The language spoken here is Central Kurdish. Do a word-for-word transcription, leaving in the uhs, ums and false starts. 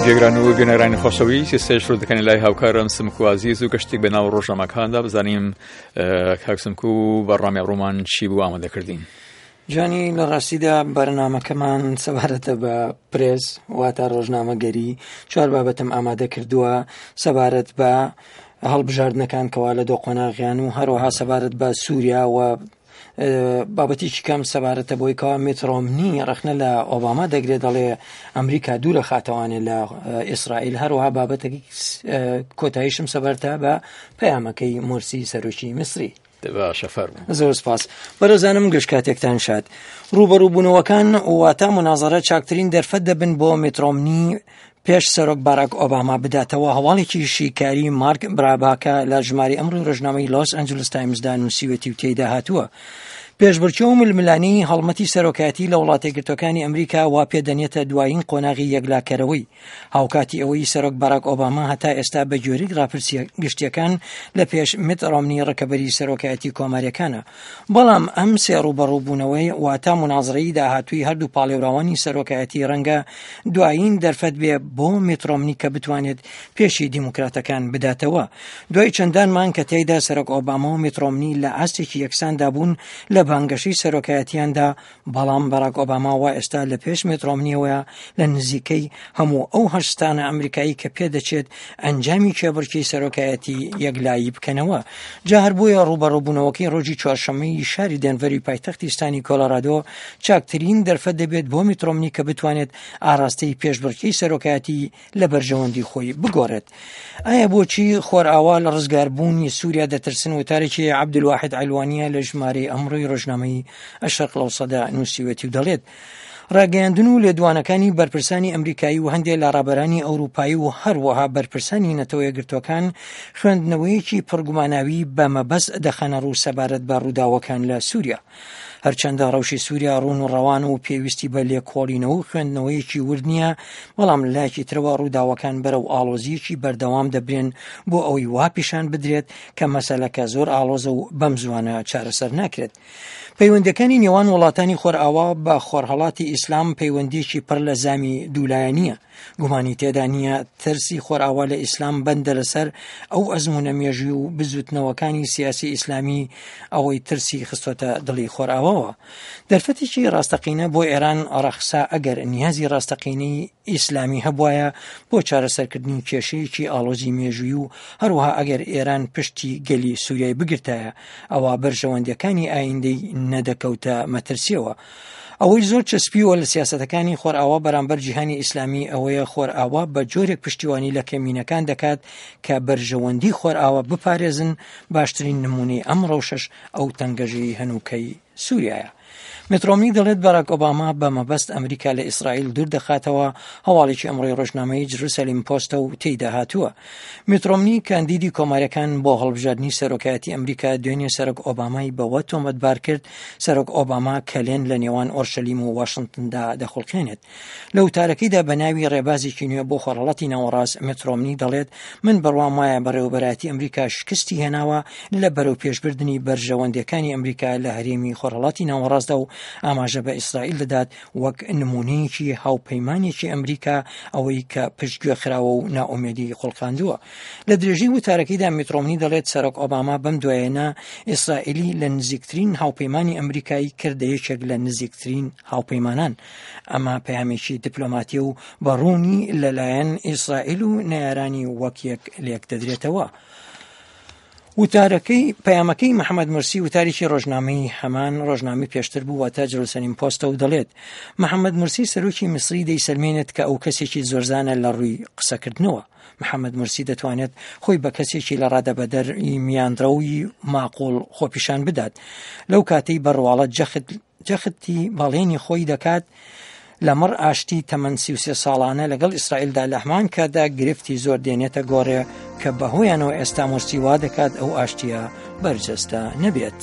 جێگران و بینەرانی خۆشەویست، ئێستاش ڕوو دەکەنە لای هاوکارم سمکو عەزیز و گەشتێک بە ناو ڕۆژنامەکاندا بزانیم کاک سمکو بەرنامەی ئەمڕۆمان چی بوو ئامادە کردین. جانی، لە ڕاستیدا بەرنامەکەمان سەبارەتە بە پرێس، واتە ڕۆژنامەگەری. چوار بابەتم ئامادە کردووە سەبارەت بە هەڵبژاردنەکان کەوا لە دۆ قۆناغیان و هەروەها سەبارەت بە سووریا و بابەتێکی کەم سەبارەتە بۆی کەوا میت ڕۆمنی ڕەخنە لە ئۆباما دەگرێت، دەڵێ ئەمریکا دوورە خاتەوانێ لە ئیسرائیل. هەروەها بابەتێکی کۆتاییشم سەبارەتە بە پەیامەکەی مورسی سەرۆکی میسری. باشە، فەرموو. زۆر سپاس بەڕێزانم، گشت کاتێکتان شاد. ڕووبەڕووبوونەوەکان واتە منازەرە چاکترین دەرفەت دەبن بۆ میت ڕۆمنی پێش سەرۆک باراک ئۆباما بداتەوە. هەواڵێکی شیکاری مارک براباکە لە ژماری ئەمڕۆی ڕۆژنامەی لۆس ئەنجلس تایمزدا نووسیوەتی و تێیدا هاتووە پێشبڕکێ و ململانێی هەڵمەتی سەرۆکایەتی لە وڵاتە یەکگرتووەکانی ئەمریکا وا پێدەنێتە دوایین قۆناغی یەکلاکەرەوەی، هاوکاتی ئەوەی سەرۆک باراک ئۆباما هەتا ئێستا بە گوێرەی ڕاپرسیە گشتیەکان لە پێش میت ڕۆمنی ڕکەبەری سەرۆکایەتی کۆماریەکانە، بەڵام ئەم سێ ڕووبەڕووبوونەوەی واتە منازرەی داهاتووی هەردوو پاڵێوراوانی سەرۆکایەتی ڕەنگە دوایین دەرفەت بێ بۆ میت ڕۆمنی کە بتوانێت پێشی دیموکراتەکان بداتەوە. دوای چەندان مانگ کە تێیدا سەرۆک ئۆباما و میت ڕۆمنی لە ئاستێکی یەکساندا بوون لە بانگەشەی سەرۆکایەتیاندا، بەڵام باراک ئۆباما وا ئێستا لە پێش میت ڕۆمنیەوەیە لە نزیکەی هەموو ئەو هەشت ستانە ئەمریکایی کە پێدەچێت ئەنجامی کێبڕکێی سەرۆکایەتی یەکلایی بکەنەوە. جا هەر بۆیە ڕووبەڕووبوونەوەکەی ڕۆژی چوارشەممەی شاری دێنڤەری پایتەختی ستانی کۆلۆرادۆ چاکترین دەرفەت دەبێت بۆ میت ڕۆمنی کە بتوانێت ئاراستەی پێشبڕکێی سەرۆکایەتی لە بەرژەوەندی خۆی بگۆڕێت. ئایا بۆچی خۆرئاوا لە ڕزگاربوونی سووریا دەترسن؟ وتارێکی عەبدولواحید عەلوانیە لە ژمارەی ئەمڕۆی ڕۆژنامەی ئەشرق الأوسطدا نووسیوەتی و دەڵێت ڕاگەیاندن و لێدوانەکانی بەرپرسانی ئەمریکایی و هەندێک لە ڕابەرانی ئەوروپایی و هەروەها بەرپرسانی نەتەوە یەکگرتووەکان خوێندنەوەیەکی پڕگوماناوی بە مەبەست دەخەنە ڕوو سەبارەت بە ڕووداوەکان لە سووریا. هەرچەندە ڕەوشی سووریا ڕوون و ڕەوان و پێویستی بە لێکۆڵینەوە و خوێندنەوەیەکی ورد نییە، بەڵام لایەکی ترەوە ڕووداوەکان بەرەو ئاڵۆزییەکی بەردەوام دەبرێن بۆ ئەوەی وا پیشان بدرێت کە مەسەلەکە زۆر ئاڵۆزە و بەم زوانە چارەسەر ناکرێت. پەیوەندەکانی نێوان وڵاتانی خۆرئاوا بە خۆرهەڵاتی ئیسلام پەیوەندیەکی پڕ لە زامی دوولایەنییە. گومانی تێدا نییە ترسی خۆرئاوا لە ئیسلام بەندە لەسەر ئەو ئەزمونە مێژووی و بزوتنەوەکانی سیاسی ئیسلامی ئەوەی ترسی خستۆتە دڵی خۆرئاواوە. دەرفەتێکی ڕاستەقینە بۆ ئێران ڕەخسا ئەگەر نیازی ڕاستەقینەی ئیسلامی هەبوایە بۆ چارەسەرکردنی کێشەیەکی ئاڵۆزی مێژووی و هەروەها ئەگەر ئێران پشتی گەلی سووریای بگرتایە ئەوە بەرژەوەندیەکانی ئایندەی نەدەکەوتە مەترسیەوە. ئەوەی زۆر چەسپیوە لە سیاسەتەکانی خۆرئاوا بەرامبەر جیهانی ئیسلامی ئەوەیە خۆرئاوا بە جۆرێک پشتیوانی لە کەمینەکان دەکات کە بەرژەوەندی خۆرئاوا بپارێزن. باشترین نمونەی ئەم ڕەوشەش ئەو تەنگەژەی هەنووکەی سووریایە. میت ڕۆمنی دەڵێت باراک ئۆباما بە مەبەست ئەمریکا لە ئیسرائیل دوور دەخاتەوە. هەواڵێکی ئەمڕۆی ڕۆژنامەی جروسەلیم پۆستە و تێیدا هاتووە میت ڕۆمنی کاندیدی کۆماریەکان بۆ هەڵبژاردنی سەرۆکایەتی ئەمریکا دوێنێ سەرۆک ئۆبامای بەوە تۆمەتبار کرد سەرۆک ئۆباما کەلێن لە نێوان ئۆرشەلیم و واشنگتندا دەخوڵقێنێت. لە وتارەکەیدا بە ناوی ڕێبازێکی نوێ بۆ خۆرهەڵاتی ناوەڕاست میت ڕۆمنی دەڵێت من بڕوام وایە بەڕێوەبەرایەتی ئەمریکا شکستی هێناوە لە بەرەو پێشبردنی بەرژەوەندیەکانی ئەمریکا لە هەرێمی خۆرهەڵاتی ناوەڕاستدا و ئاماژە بە ئیسرائیل دەدات وەک نمونەیەکی هاوپەیمانێکی ئەمریکا ئەوەی کە پشتگوێ خراوە و نائومێدی خوڵقاندووە. لە درێژەی وتارەکەیدا میت ڕۆمنی دەڵێت سەرۆک ئۆباما بەم دوایەنە ئیسرائیلی لە نزیکترین هاوپەیمانی ئەمریکای کردە یەکێک لە نزیکترین هاوپەیمانان. ئەمە پەیامێکی دیپلۆماتی و بەڕوونی لەلایەن ئیسرائیل و نەیارانی وەک یەک لێک دەدرێتەوە. وتارەکەی پەیامەکەی محەممەد مرسی وتارێکی ڕۆژنامەی هەمان ڕۆژنامەی پێشتر بوو واتە جروسەلیم پۆستە و دەڵێت محەممەد مرسی سەرۆکی میسری دەیسەلمێنێت کە ئەو کەسێکی زۆرزانە لە ڕووی قسەکردنەوە. محەممەد مرسی دەتوانێت خۆی بە کەسێکی لە ڕادەبەدەر میانڕەوی ماقوڵ خۆپیشان بدات لەو کاتەی بەڕواڵەت جەخت جەختی بەڵێنی خۆی دەکات لەمەڕ ئاشتی تەمەن سی و سێ ساڵانە لەگەڵ ئیسرائیلدا، لە هەمان کاتدا گرفتی زۆر دێنێتە گۆڕێ کە بەهۆیانەوە ئێستا مورسی وا دەکات ئەو ئاشتیە بەرجەستە نەبێت.